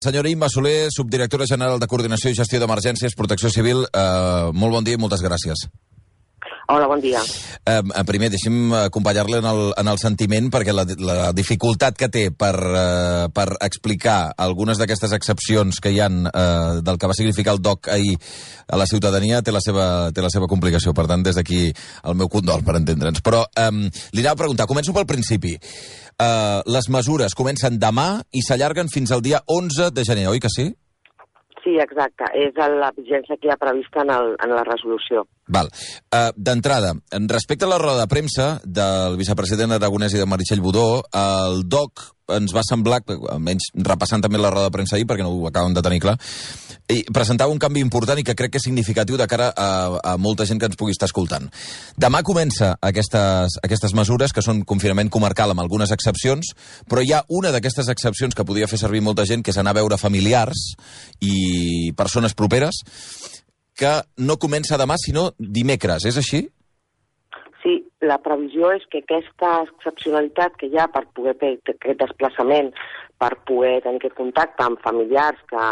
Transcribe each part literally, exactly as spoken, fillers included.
Senyora Imma Soler, subdirectora general de Coordinació i Gestió d'Emergències, Protecció Civil, eh, molt bon dia i moltes gràcies. Hola, bon dia. Eh, primer, deixi'm acompanyar-li en, el, en el sentiment, perquè la, la dificultat que té per, eh, per explicar algunes d'aquestes excepcions que hi ha eh, del que va significar el D O C ahir a la ciutadania té la seva, té la seva complicació. Per tant, des d'aquí el meu condol, per entendre'ns. Però eh, li anava a preguntar, començo pel principi. Uh, les mesures comencen demà i s'allarguen fins al dia onze de gener, oi que sí? Sí, exacte. És la vigència que hi ha prevista en, el, en la resolució. Val. Uh, D'entrada, respecte a la roda de premsa del vicepresident Aragonès i de Meritxell Budó, el D O C ens va semblar, almenys repassant també la roda de premsa ahir, perquè no ho acaben de tenir clar, i presentava un canvi important i que crec que és significatiu de cara a, a molta gent que ens pugui estar escoltant. Demà comença aquestes, aquestes mesures, que són confinament comarcal amb algunes excepcions, però hi ha una d'aquestes excepcions que podia fer servir molta gent, que és anar a veure familiars i persones properes, que no comença demà, sinó dimecres. És així? Sí, la previsió és que aquesta excepcionalitat que hi ha per poder fer aquest desplaçament, per poder tenir aquest contacte amb familiars que,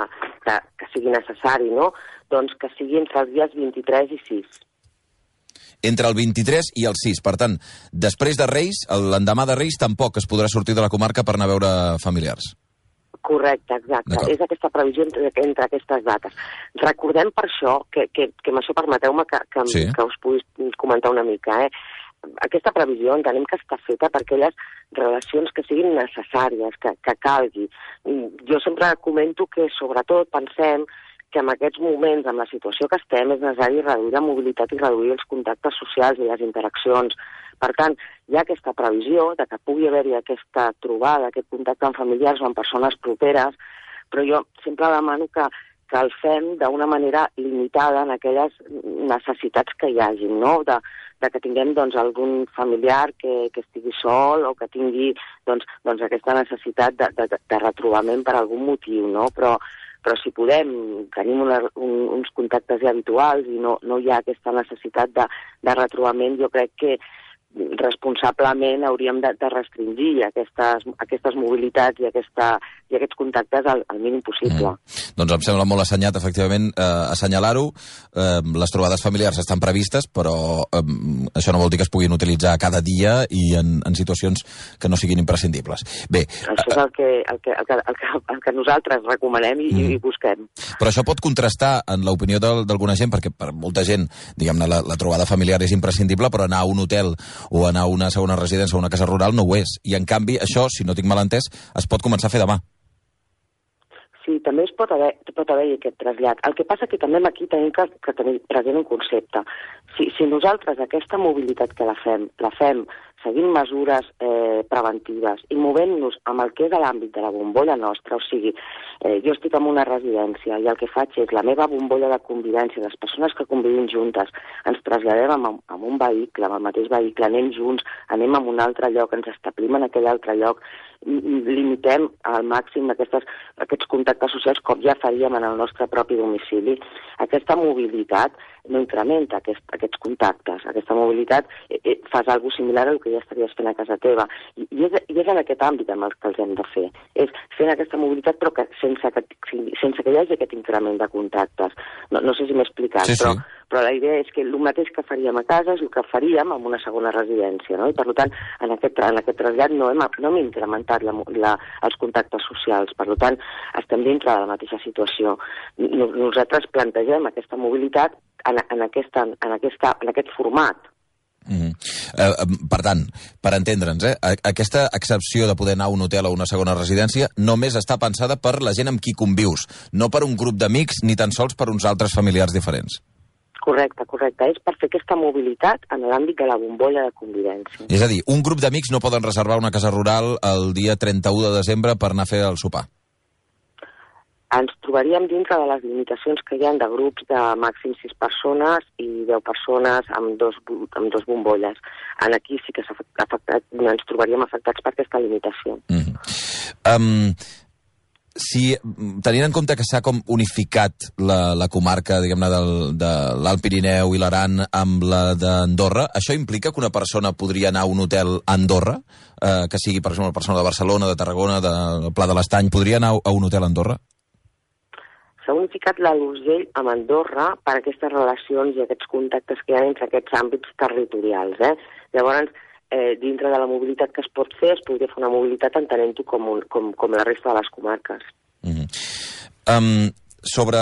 que, que sigui necessari, no? Doncs que sigui entre els dies vint-i-tres i sis. Entre el vint-i-tres i el sis. Per tant, després de Reis, l'endemà de Reis, tampoc es podrà sortir de la comarca per anar a veure familiars. Correcte, exacte. És aquesta previsió entre, entre aquestes dates. Recordem per això, que, que, que amb això permeteu-me que, que, sí. que us pugui comentar una mica, eh? Aquesta previsió entenem que està feta per aquelles relacions que siguin necessàries, que, que calgui. Jo sempre comento que, sobretot, pensem que en aquests moments, amb la situació que estem, és necessari reduir la mobilitat i reduir els contactes socials i les interaccions. Per tant, hi ha aquesta previsió de que pugui haver-hi aquesta trobada, aquest contacte amb familiars o amb persones properes, però jo sempre demano que, que el fem d'una manera limitada en aquelles necessitats que hi hagin, no? De, de que tinguem doncs, algun familiar que, que estigui sol o que tingui doncs, doncs, aquesta necessitat de, de, de retrobament per algun motiu, no? Però però si podem, tenim una, un, uns contactes ja habituals i no, no hi ha aquesta necessitat de, de retrobament, jo crec que responsablement hauríem de, de restringir aquestes, aquestes mobilitats i, aquesta, i aquests contactes al, al mínim possible. Mm. Doncs em sembla molt assenyat, efectivament, eh, assenyalar-ho. Eh, les trobades familiars estan previstes, però eh, això no vol dir que es puguin utilitzar cada dia i en, en situacions que no siguin imprescindibles. Bé, això és el que, el que, el que, el que, el que nosaltres recomanem i, mm. i busquem. Però això pot contrastar en l'opinió d'alguna gent, perquè per molta gent, diguem-ne, la, la trobada familiar és imprescindible, però anar a un hotel o anar a una segona residència o una casa rural no ho és. I, en canvi, això, si no tinc mal entès, es pot començar a fer demà. Sí, també es pot haver, pot haver aquest trasllat. El que passa que també aquí tenim que, que tenir present un concepte. Si, si nosaltres aquesta mobilitat que la fem, la fem seguint mesures eh, preventives i movent-nos amb el que és l'àmbit de la bombolla nostra, o sigui, eh, jo estic en una residència i el que faig és la meva bombolla de convivència, les persones que convivim juntes, ens traslladem amb, amb un vehicle, amb el mateix vehicle, anem junts, anem a un altre lloc, ens establim en aquell altre lloc, limitem al màxim aquestes, aquests contactes socials com ja faríem en el nostre propi domicili. Aquesta mobilitat no incrementa aquest, aquests contactes. Aquesta mobilitat eh, eh, fas alguna similar al que ja estaries fent a casa teva. I, i, és, i és en aquest àmbit amb el que els hem de fer. És fent aquesta mobilitat però que sense, que, sense que hi hagi aquest increment de contactes. No, no sé si m'he explicat, sí, sí. però, però la idea és que el mateix que faríem a casa és el que faríem en una segona residència, no? I per tant, en aquest, en aquest trasllat no hem, no hem incrementat la, la, els contactes socials. Per tant, estem dintre de la mateixa situació. Nosaltres plantegem aquesta mobilitat en, en, aquesta, en, aquesta, en aquest format. Mm-hmm. eh, per tant, per entendre'ns, eh, aquesta excepció de poder anar a un hotel o una segona residència només està pensada per la gent amb qui convius, no per un grup d'amics ni tan sols per uns altres familiars diferents. Correcte, correcte. És per fer aquesta mobilitat en l'àmbit de la bombolla de convivència. És a dir, un grup d'amics no poden reservar una casa rural el dia trenta-u de desembre per anar a fer el sopar. Ens trobaríem dintre de les limitacions que hi ha de grups de màxim sis persones i deu persones amb dos, amb dos bombolles. En aquí sí que afectat, ens trobaríem afectats per aquesta limitació. Mm-hmm. um, si, tenint en compte que s'ha com unificat la, la comarca, diguem-ne, de l'Alt Pirineu i l'Aran amb la d'Andorra, això implica que una persona podria anar a un hotel a Andorra, eh, que sigui, per exemple, una persona de Barcelona, de Tarragona, de Pla de l'Estany, podria anar a un hotel a Andorra? s'ha unificat l'Alt Urgell amb Andorra per aquestes relacions i aquests contactes que hi ha entre aquests àmbits territorials. Eh? Llavors, eh, dintre de la mobilitat que es pot fer, es podria fer una mobilitat entenent-ho com, un, com, com la resta de les comarques. Mm-hmm. um, sobre,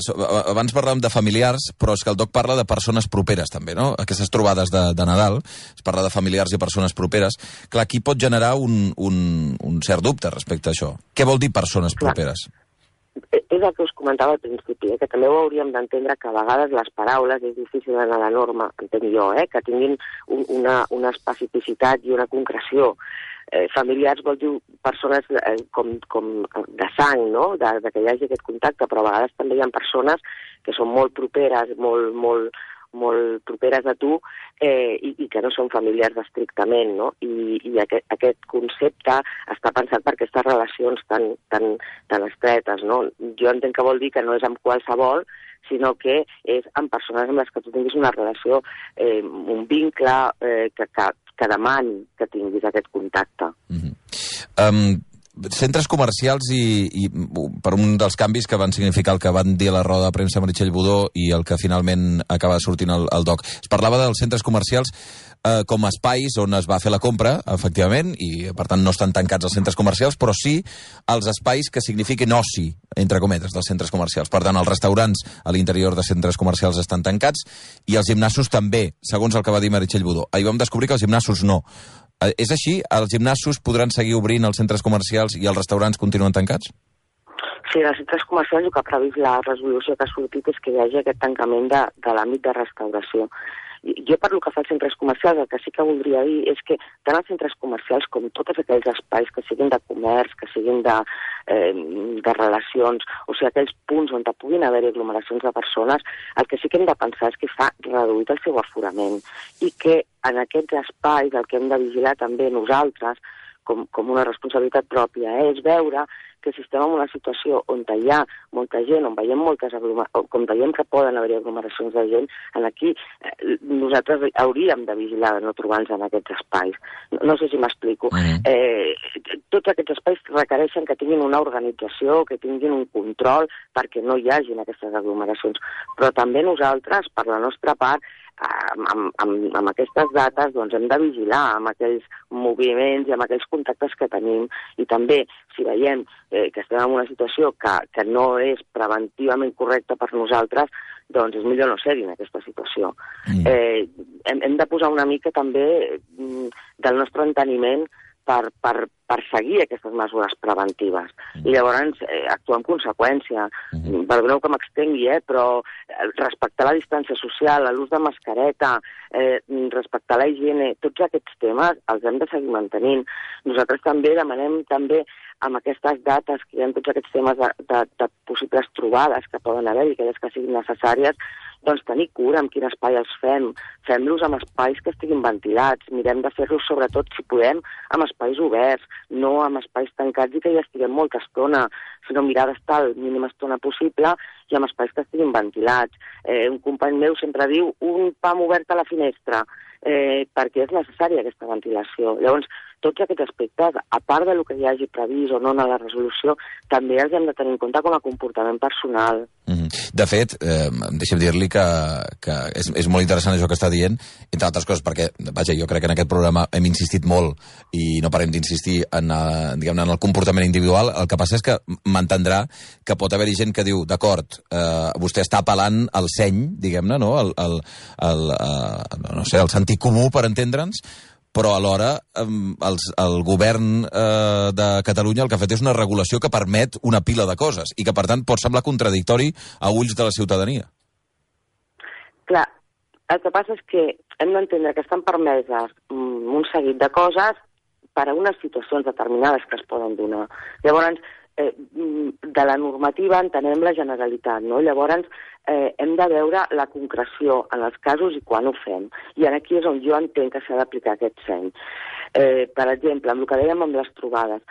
sobre... Abans parlàvem de familiars, però és que el Doc parla de persones properes, també, no? Aquestes trobades de, de Nadal, es parla de familiars i persones properes. Clar, aquí pot generar un, un, un cert dubte respecte a això. Què vol dir persones properes? Clar. És el que us comentava al principi, eh? Que també ho hauríem d'entendre que a vegades les paraules és difícil d'anar a la norma, entenc jo, eh? Que tinguin un, una, una especificitat i una concreció. Eh, familiars vol dir persones eh, com, com de sang, no? De, de que hi hagi aquest contacte, però a vegades també hi ha persones que són molt properes, molt, molt, molt properes a tu eh, i, i que no són familiars estrictament, no? I, i aquest, aquest concepte està pensat per aquestes relacions tan, tan, tan estretes, no? Jo entenc que vol dir que no és amb qualsevol, sinó que és amb persones amb les que tu tinguis una relació, eh, un vincle eh, que, que, que demani que tinguis aquest contacte. Mm-hmm. um, centres comercials i, i per un dels canvis que van significar el que van dir a la roda de premsa Meritxell Budó i el que finalment acaba sortint el, el Doc. Es parlava dels centres comercials eh, com a espais on es va fer la compra, efectivament, i per tant no estan tancats els centres comercials, però sí els espais que signifiquin oci, entre cometes, dels centres comercials. Per tant, els restaurants a l'interior de centres comercials estan tancats i els gimnasos també, segons el que va dir Meritxell Budó. Ahir vam descobrir que els gimnasos no. Eh, és així? Els gimnasos podran seguir obrint els centres comercials i els restaurants continuen tancats? Sí, als centres comercials el que ha previst la resolució que ha sortit és que hi hagi aquest tancament de, de l'àmbit de restauració. Jo per lo que fa als centres comercials, el que sí que voldria dir és que tant els centres comercials com tots aquells espais que siguin de comerç, que siguin de, eh, de relacions, o sigui, aquells punts on puguin haver aglomeracions de persones, el que sí que hem de pensar és que fa reduït el seu aforament i que en aquests espais el que hem de vigilar també nosaltres, com, com una responsabilitat pròpia, eh, és veure que si estem en una situació on hi ha molta gent, on veiem moltes aglomeracions, com veiem que poden haver aglomeracions de gent, en aquí eh, nosaltres hauríem de vigilar de no trobar-nos en aquests espais. No, no sé si m'explico. Mm. Eh, tots aquests espais requereixen que tinguin una organització, que tinguin un control perquè no hi hagin aquestes aglomeracions. Però també nosaltres, per la nostra part, Amb, amb, amb, amb aquestes dates doncs, hem de vigilar amb aquells moviments i amb aquells contactes que tenim i també si veiem eh, que estem en una situació que, que no és preventivament correcta per nosaltres, doncs és millor no ser-hi en aquesta situació. Mm. Eh, hem, hem de posar una mica també mm, del nostre enteniment per, per, per seguir aquestes mesures preventives. Mm. I llavors eh, actuar en conseqüència. Mm. Perdoneu que m'extengui, eh, però respectar la distància social, l'ús de mascareta, eh, respectar la higiene, tots aquests temes els hem de seguir mantenint. Nosaltres també demanem també amb aquestes dates que hi ha tots aquests temes de, de, de possibles trobades que poden haver i aquelles que siguin necessàries, doncs tenir cura amb quin espai els fem. Fem-los amb espais que estiguin ventilats. Mirem de fer-los, sobretot, si podem, amb espais oberts, no amb espais tancats i que hi estiguem molta estona, sinó mirar d'estar la mínima estona possible i amb espais que estiguin ventilats. Eh, un company meu sempre diu un pam obert a la finestra, eh, perquè és necessària aquesta ventilació. Llavors, tots aquests aspectes, a part del que hi hagi previst o no en la resolució, també els hem de tenir en compte com a comportament personal. Mm-hmm. De fet, eh, deixa'm dir-li que, que és, és molt interessant això que està dient, entre altres coses, perquè, vaja, jo crec que en aquest programa hem insistit molt i no parem d'insistir en, eh, diguem-ne, en el comportament individual. El que passa és que m'entendrà que pot haver-hi gent que diu, d'acord, eh, vostè està apel·lant al seny, diguem-ne, no? El, el, el, eh, no sé, el sentit comú, per entendre'ns, però alhora el, el govern eh, de Catalunya el que ha fet és una regulació que permet una pila de coses i que, per tant, pot semblar contradictori a ulls de la ciutadania. Clar, el que passa és que hem d'entendre que estan permeses un seguit de coses per a unes situacions determinades que es poden donar. Llavors, eh, de la normativa entenem la generalitat, no? Llavors, eh, hem de veure la concreció en els casos i quan ho fem. I aquí és on jo entenc que s'ha d'aplicar aquest seny. Eh, per exemple, amb el que dèiem amb les trobades,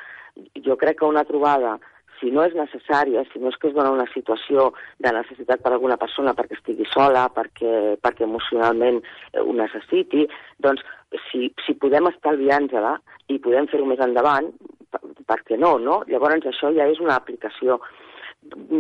jo crec que una trobada, si no és necessària, si no és que es dona una situació de necessitat per a alguna persona perquè estigui sola, perquè, perquè emocionalment ho necessiti, doncs si, si podem estalviar-nos-la i podem fer-ho més endavant, per, per què no, no? Llavors això ja és una aplicació.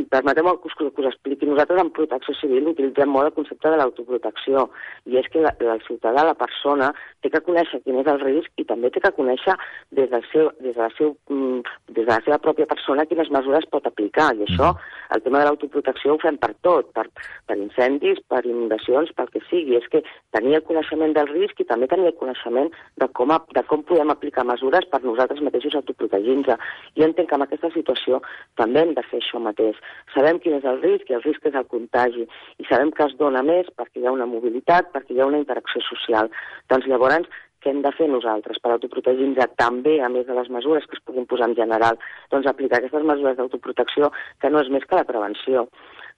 permeteu-me que us, que us expliqui, nosaltres en protecció civil utilitzem molt el concepte de l'autoprotecció, i és que la, el ciutadà, la persona, té que conèixer quin és el risc i també té que conèixer des, del seu, des, de la seu, des de la seva pròpia persona quines mesures pot aplicar, i això, el tema de l'autoprotecció ho fem per tot, per, per incendis, per inundacions, pel que sigui, és que tenir el coneixement del risc i també tenir el coneixement de com, a, de com podem aplicar mesures per nosaltres mateixos autoprotegir-nos. Jo entenc que en aquesta situació també hem de fer això mateix. Sabem quin és el risc, i el risc és el contagi, i sabem que es dona més perquè hi ha una mobilitat, perquè hi ha una interacció social. Doncs llavors, què hem de fer nosaltres per autoprotegir-nos també, a més de les mesures que es puguin posar en general? Doncs aplicar aquestes mesures d'autoprotecció, que no és més que la prevenció,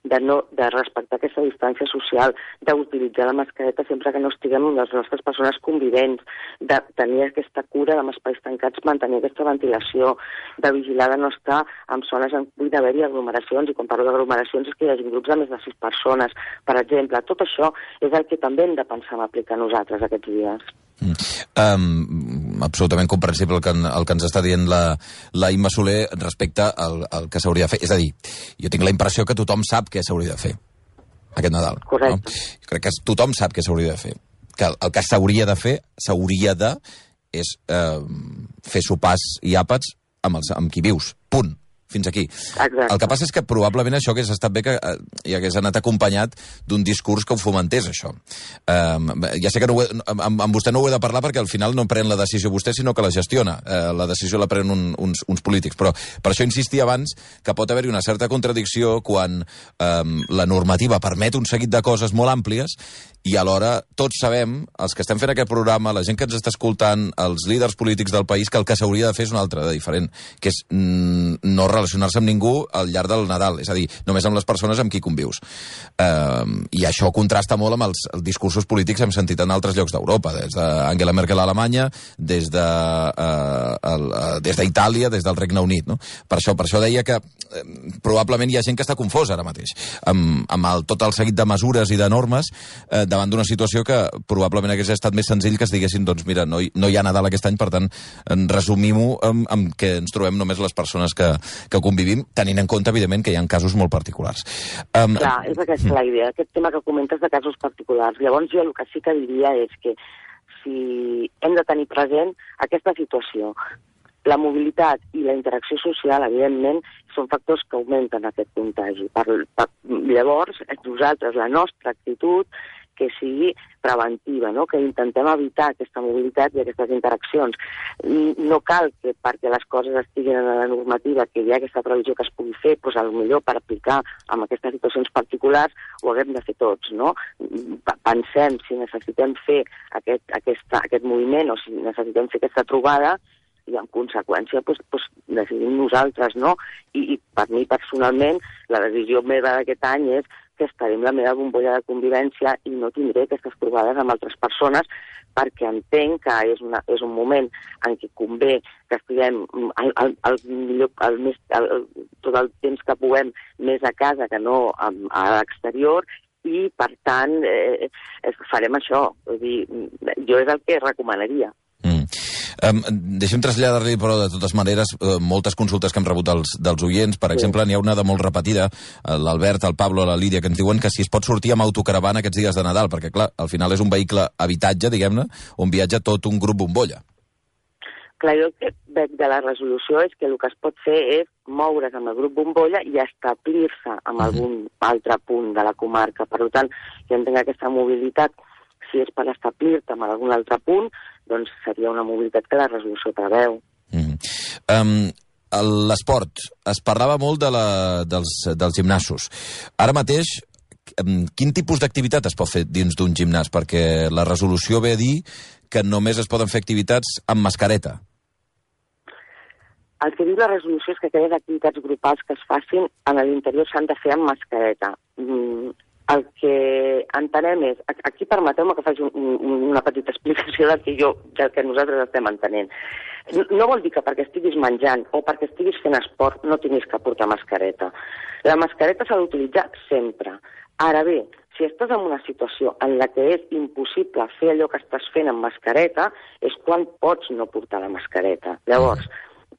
de, no, de respectar aquesta distància social, d'utilitzar la mascareta sempre que no estiguem amb les nostres persones convivents, de tenir aquesta cura amb espais tancats, mantenir aquesta ventilació, de vigilar de no estar en zones on pugui haver-hi aglomeracions, i quan parlo d'aglomeracions és que hi hagi grups de més de sis persones, per exemple. Tot això és el que també hem de pensar en aplicar nosaltres aquests dies. Mm. Um, absolutament comprensible el que, el que ens està dient la, la Imma Soler respecte al, al que s'hauria de fer. És a dir, jo tinc la impressió que tothom sap què s'hauria de fer aquest Nadal. Correcte. No? Jo crec que tothom sap què s'hauria de fer. Que el, el que s'hauria de fer, s'hauria de, és eh, fer sopars i àpats amb, els, amb qui vius. Punt. Fins aquí. Exacte. El que passa és que probablement això hagués estat bé que eh, hi hagués anat acompanyat d'un discurs que ho fomentés, això. Um, ja sé que no ho he, amb, amb vostè no ho he de parlar perquè al final no pren la decisió vostè, sinó que la gestiona. Uh, la decisió la prenen un, uns, uns polítics. Però per això insistia abans que pot haver-hi una certa contradicció quan um, la normativa permet un seguit de coses molt àmplies i alhora tots sabem, els que estem fent aquest programa, la gent que ens està escoltant, els líders polítics del país, que el que s'hauria de fer és una altra de diferent, que és mm, no relacionar-se amb ningú al llarg del Nadal, és a dir, només amb les persones amb qui convius. Uh, I això contrasta molt amb els, els discursos polítics que hem sentit en altres llocs d'Europa, des d'Angela Merkel a Alemanya, des de, uh, el, uh, des d'Itàlia, des del Regne Unit. No? Per això, per això deia que uh, probablement hi ha gent que està confosa ara mateix, amb, amb el, tot el seguit de mesures i de normes, uh, davant d'una situació que probablement hagués estat més senzill que es diguessin, doncs mira, no hi, no hi ha Nadal aquest any, per tant, resumim-ho amb, amb que ens trobem només les persones que, que convivim, tenint en compte, evidentment, que hi ha casos molt particulars. Um, Clar, és aquesta la idea, aquest tema que comentes de casos particulars. Llavors jo el que sí que diria és que si hem de tenir present aquesta situació, la mobilitat i la interacció social, evidentment, són factors que augmenten aquest contagi. Per, per, llavors, nosaltres, la nostra actitud, que sigui preventiva, no? Que intentem evitar aquesta mobilitat i aquestes interaccions. No cal que perquè les coses estiguin en la normativa, que hi ha aquesta previsió que es pugui fer, doncs potser per aplicar en aquestes situacions particulars ho haguem de fer tots, no? Pensem si necessitem fer aquest, aquesta, aquest moviment o si necessitem fer aquesta trobada, i en conseqüència doncs, doncs decidim nosaltres, no? I, I per mi personalment la decisió meva d'aquest any és que estaré amb la meva bombolla de convivència i no tindré aquestes trobades amb altres persones perquè entenc que és, una, és un moment en què convé que estiguem el, el, el millor, el més, el, tot el temps que puguem més a casa que no a, a l'exterior i, per tant, eh, farem això. Vull dir, jo és el que recomanaria. Mm. Um, deixem traslladar-li, però, de totes maneres, uh, moltes consultes que hem rebut dels, dels oients. Per sí. exemple, n'hi ha una de molt repetida, l'Albert, el Pablo, la Lídia, que ens diuen que si es pot sortir amb autocaravana aquests dies de Nadal, perquè, clar, al final és un vehicle habitatge, diguem-ne, on viatja tot un grup bombolla. Clar, jo el que veig de la resolució és que el que es pot fer és moure's amb el grup bombolla i establir-se en algun altre punt de la comarca. Per tant, jo entenc aquesta mobilitat, si és per establir-te en algun altre punt, doncs seria una mobilitat que la resolució preveu. Mm. Um, L'esport. Es parlava molt de la, dels, dels gimnasos. Ara mateix, quin tipus d'activitat es pot fer dins d'un gimnàs? Perquè la resolució ve a dir que només es poden fer activitats amb mascareta. El que diu la resolució és que aquelles activitats grupals que es facin en l'interior s'han de fer amb mascareta. Mm. El que entenem és, aquí permeteu-me que faci un, un, una petita explicació del que, jo, del que nosaltres estem entenent. No vol dir que perquè estiguis menjant o perquè estiguis fent esport no tinguis que portar mascareta. La mascareta s'ha d'utilitzar sempre. Ara bé, si estàs en una situació en la que és impossible fer allò que estàs fent amb mascareta, és quan pots no portar la mascareta. Llavors,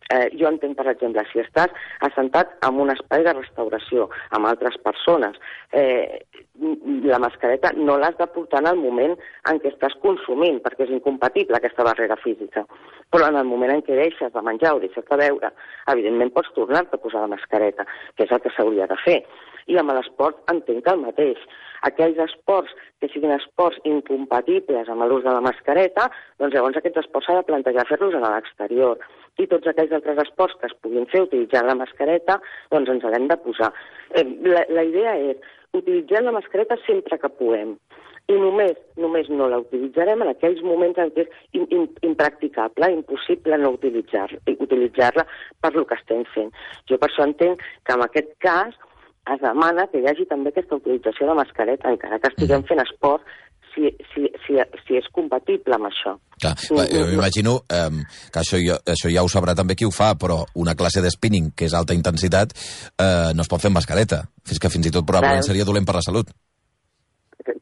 Eh, jo entenc, per exemple, si estàs assentat en un espai de restauració amb altres persones, eh, la mascareta no l'has de portar en el moment en què estàs consumint, perquè és incompatible aquesta barrera física. Però en el moment en què deixes de menjar o deixes de beure, evidentment pots tornar-te a posar la mascareta, que és el que s'hauria de fer. I amb l'esport entenc el mateix. Aquells esports que siguin esports incompatibles amb l'ús de la mascareta, doncs llavors aquests esports s'ha de plantejar fer-los a l'exterior. I tots aquells altres esports que es puguin fer utilitzant la mascareta, doncs ens haguem de posar. Eh, la, la idea és utilitzar la mascareta sempre que puguem. I només, només no la utilitzarem en aquells moments en què és in, in, impracticable, impossible no utilitzar-la, utilitzar-la per lo que estem fent. Jo per això entenc que en aquest cas es demana que hi hagi també aquesta utilització de mascareta, encara que estiguem fent esport, si, si, si, si és compatible amb això. Clar, jo m'imagino eh, que això ja, això ja ho sabrà també qui ho fa, però una classe de spinning, que és alta intensitat, eh, no es pot fer amb mascareta. Fins que fins i tot probablement seria dolent per la salut.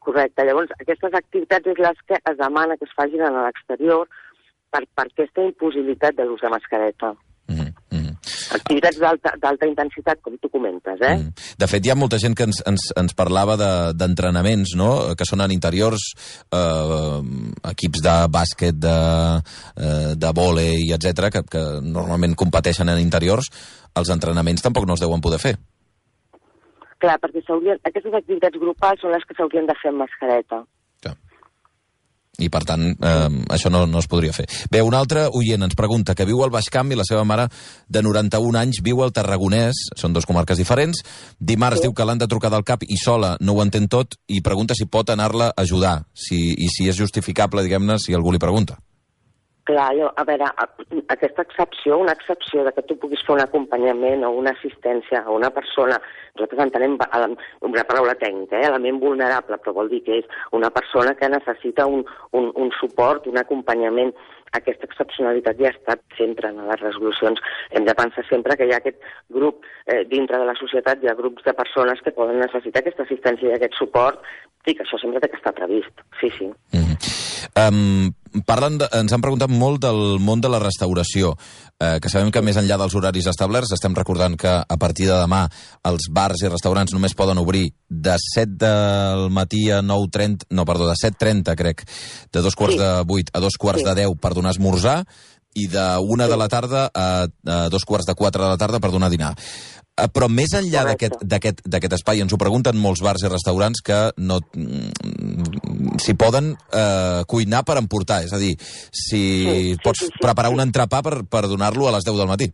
Correcte. Llavors, aquestes activitats és les que es demana que es facin a l'exterior per, per aquesta impossibilitat de l'ús de mascareta. Mm-hmm. Activitats d'alta intensitat, com tu comentes, eh? Mm. De fet, hi ha molta gent que ens, ens, ens parlava d'entrenaments, de, no?, que són en interiors, eh, equips de bàsquet, de, eh, de vòlei, etcètera, que, que normalment competeixen en interiors. Els entrenaments tampoc no es deuen poder fer. Clar, perquè aquestes activitats grupals són les que s'haurien de fer amb mascareta. I, per tant, eh, això no, no es podria fer. Bé, un altre oient ens pregunta que viu al Baix Camp i la seva mare, de noranta-un anys, viu al Tarragonès, són dues comarques diferents. Dimarts sí. Diu que l'han de trucar del cap i sola no ho entén tot i pregunta si pot anar-la a ajudar si, i si és justificable, diguem-ne, si algú li pregunta. Clar, jo, a veure, aquesta excepció, una excepció de que tu puguis fer un acompanyament o una assistència a una persona, nosaltres entenem una paraula tècnica, eh, element vulnerable, però vol dir que és una persona que necessita un, un, un suport, un acompanyament. Aquesta excepcionalitat ja ha estat sempre en les resolucions. Hem de pensar sempre que hi ha aquest grup eh, dintre de la societat, hi ha grups de persones que poden necessitar aquesta assistència i aquest suport, i que això sempre té que estar previst. Sí, sí. Mm-hmm. Um, parlen de, ens han preguntat molt del món de la restauració, eh, que sabem que més enllà dels horaris establerts, estem recordant que a partir de demà els bars i restaurants només poden obrir de set del matí a nou trenta, no, perdó, de set trenta, crec, de dos quarts sí. de vuit a dos quarts sí. de deu per donar esmorzar, i de una sí. de la tarda a, a dos quarts de quatre de la tarda per donar dinar. Però més enllà d'aquest espai, ens ho pregunten molts bars i restaurants que no s'hi poden eh, cuinar per emportar, és a dir, si sí, sí, pots sí, sí, preparar sí. un entrepà per, per donar-lo a les deu del matí.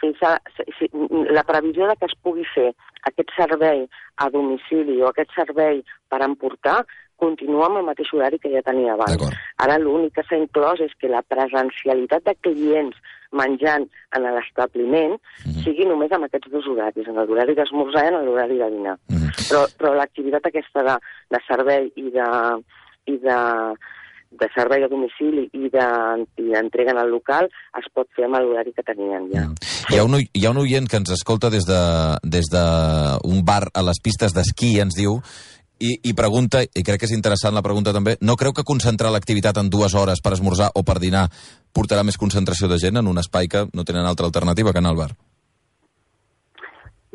Fins a, sí, la previsió de que es pugui fer aquest servei a domicili o aquest servei per emportar continua amb el mateix horari que ja tenia abans. Ara l'únic que s'ha inclòs és que la presencialitat de clients menjant en l'establiment mm-hmm. sigui només amb aquests dos horaris, en l'horari d'esmorzar i en l'horari de dinar. Mm-hmm. Però, però l'activitat aquesta de, de servei i de, i de, de servei a domicili i d'entrega en el local es pot fer amb l'horari que tenien ja. Mm. Hi ha, un, hi ha un oient que ens escolta des de, des de un bar a les pistes d'esquí, ens diu, I, i pregunta, i crec que és interessant la pregunta també, no creu que concentrar l'activitat en dues hores per esmorzar o per dinar portarà més concentració de gent en un espai que no tenen altra alternativa que anar al bar?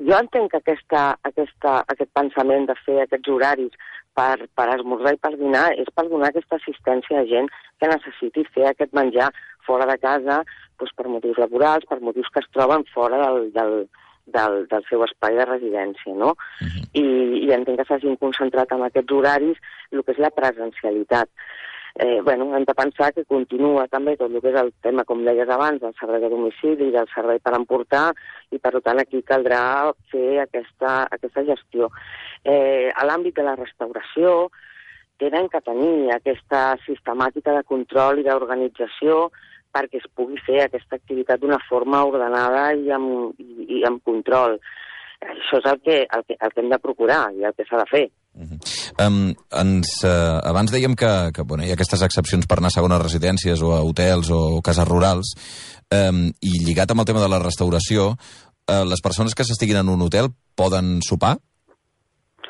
Jo entenc que aquesta, aquesta, aquest pensament de fer aquests horaris per, per esmorzar i per dinar és per donar aquesta assistència a gent que necessiti fer aquest menjar fora de casa doncs per motius laborals, per motius que es troben fora del... del Del, del seu espai de residència, no? Uh-huh. I, i entenc que s'hagin concentrat en aquests horaris el que és la presencialitat. Eh, bueno, hem de pensar que continua també tot el que és el tema, com deies abans, del servei de domicili, del servei per emportar, i per tant aquí caldrà fer aquesta, aquesta gestió. Eh, a l'àmbit de la restauració tenen que tenir aquesta sistemàtica de control i d'organització perquè es pugui fer aquesta activitat d'una forma ordenada i amb, i, i amb control. Això és el que, el, que, el que hem de procurar i el que s'ha de fer. Uh-huh. um, ens, uh, abans dèiem que, que bueno, hi ha aquestes excepcions per anar a segones residències o a hotels o cases rurals, um, i lligat amb el tema de la restauració, uh, les persones que s'estiguin en un hotel poden sopar?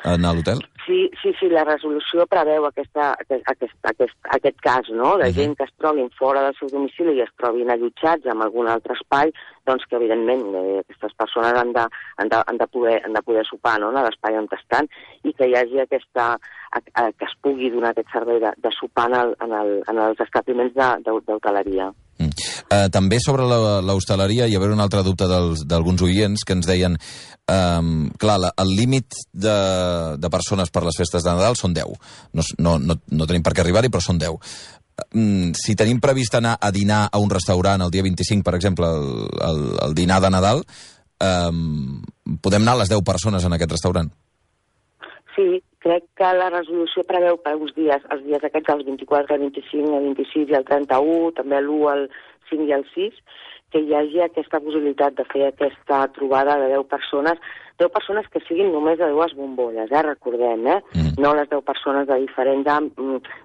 en l'hotel? Sí, sí, sí, la resolució preveu aquesta, aquest, aquest, aquest cas, no?, de gent que es trobin fora del seu domicili i es trobin allotjats en algun altre espai, doncs que, evidentment, eh, aquestes persones han de, han de, han de, poder, han de poder sopar, no?, en l'espai on estan, i que hi hagi aquesta, que es pugui donar aquest servei de, de sopar en, el, en, el, en els establiments d'hoteleria. Mm. Uh, també sobre l'hostaleria hi ha un altre dubte d'alguns oients que ens deien um, clar, la, el límit de, de persones per les festes de Nadal són deu. No, no, no, no tenim per què arribar-hi, però són deu. Um, si tenim previst anar a dinar a un restaurant el dia vint-i-cinc, per exemple, el, el, el dinar de Nadal, um, podem anar a les deu persones en aquest restaurant? Sí, crec que la resolució preveu per uns dies, els dies aquests, els vint-i-quatre, el vint-i-cinc, el vint-i-sis i el trenta-u, també l'u, el cinc i el sis, que hi hagi aquesta possibilitat de fer aquesta trobada de deu persones, deu persones que siguin només de dues bombolles, eh, recordem, eh? Mm. No les deu persones de diferents,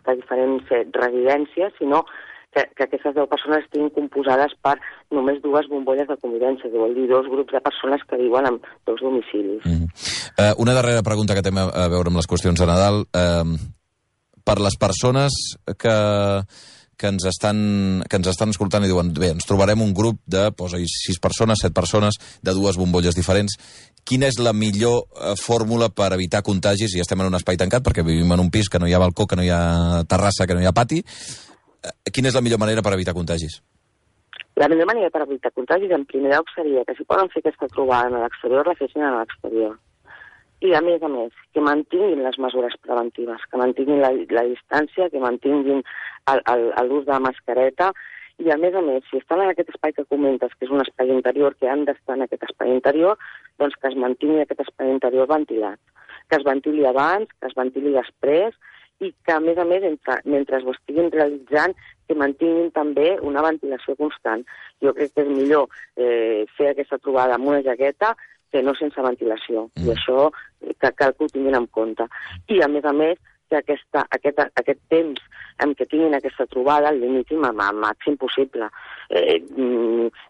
de diferents residències, sinó que, que aquestes deu persones estiguin composades per només dues bombolles de convivència, que vol dir dos grups de persones que viuen en dos domicilis. Mm. Uh, una darrera pregunta que té a veure amb les qüestions de Nadal. Uh, per les persones que... que ens estan, que ens estan escoltant i diuen, bé, ens trobarem un grup de, posa-hi, sis persones, set persones, de dues bombolles diferents. Quina és la millor eh, fórmula per evitar contagis? I estem en un espai tancat, perquè vivim en un pis que no hi ha balcó, que no hi ha terrassa, que no hi ha pati. Eh, quina és la millor manera per evitar contagis? La millor manera per evitar contagis, en primer lloc, seria que si poden fer aquesta trobada a l'exterior, la fessin a l'exterior. I, a més a més, que mantinguin les mesures preventives, que mantinguin la, la distància, que mantinguin l'ús de la mascareta, i, a més a més, si estan en aquest espai que comentes, que és un espai interior, que han d'estar en aquest espai interior, doncs que es mantingui aquest espai interior ventilat. Que es ventili abans, que es ventili després, i que, a més a més, entre, mentre ho estiguin realitzant, que mantinguin també una ventilació constant. Jo crec que és millor eh, fer aquesta trobada amb una jaqueta que no sense ventilació, mm. i això que cal que ho tinguin en compte. I, a més a més, que aquesta, aquest, aquest temps en què tinguin aquesta trobada el limitin al màxim possible. Eh,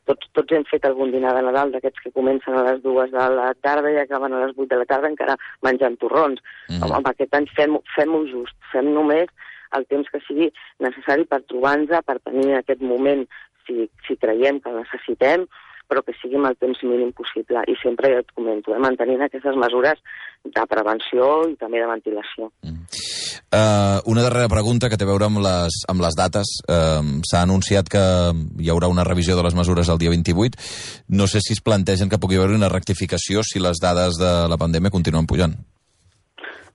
tots, tots hem fet algun dinar de Nadal d'aquests que comencen a les dues de la tarda i acaben a les vuit de la tarda encara menjant torrons. Mm. Home, aquest any fem-ho fem just, fem només el temps que sigui necessari per trobar-nos, per tenir aquest moment, si, si creiem que el necessitem, però que sigui amb el temps mínim possible. I sempre, ja et comento, eh, mantenint aquestes mesures de prevenció i també de ventilació. Mm. Uh, una darrera pregunta que té a veure amb les, amb les dates. Uh, S'ha anunciat que hi haurà una revisió de les mesures el dia vint-i-vuit. No sé si es plantegen que pugui haver una rectificació si les dades de la pandèmia continuen pujant.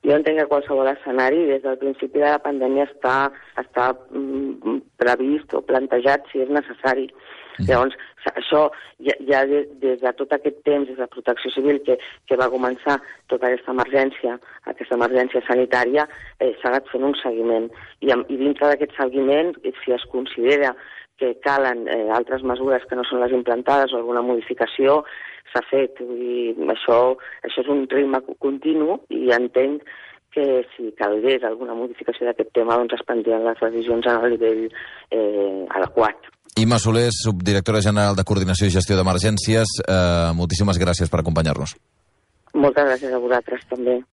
Jo entenc que qualsevol escenari, des del principi de la pandèmia, està, està mm, previst o plantejat si és necessari. Mm. Llavors, això ja, ja des, des de tot aquest temps, des de Protecció Civil, que, que va començar tota aquesta emergència, aquesta emergència sanitària, eh, s'ha anat fent un seguiment. I, i dintre d'aquest seguiment, si es considera que calen eh, altres mesures que no són les implantades o alguna modificació, s'ha fet. I això, això és un ritme continu i entenc que si calgués alguna modificació d'aquest tema, doncs es prendrien les decisions a nivell eh, adequat. Imma Soler, subdirectora general de Coordinació i Gestió d'Emergències, eh, moltíssimes gràcies per acompanyar-nos. Moltes gràcies a vosaltres també.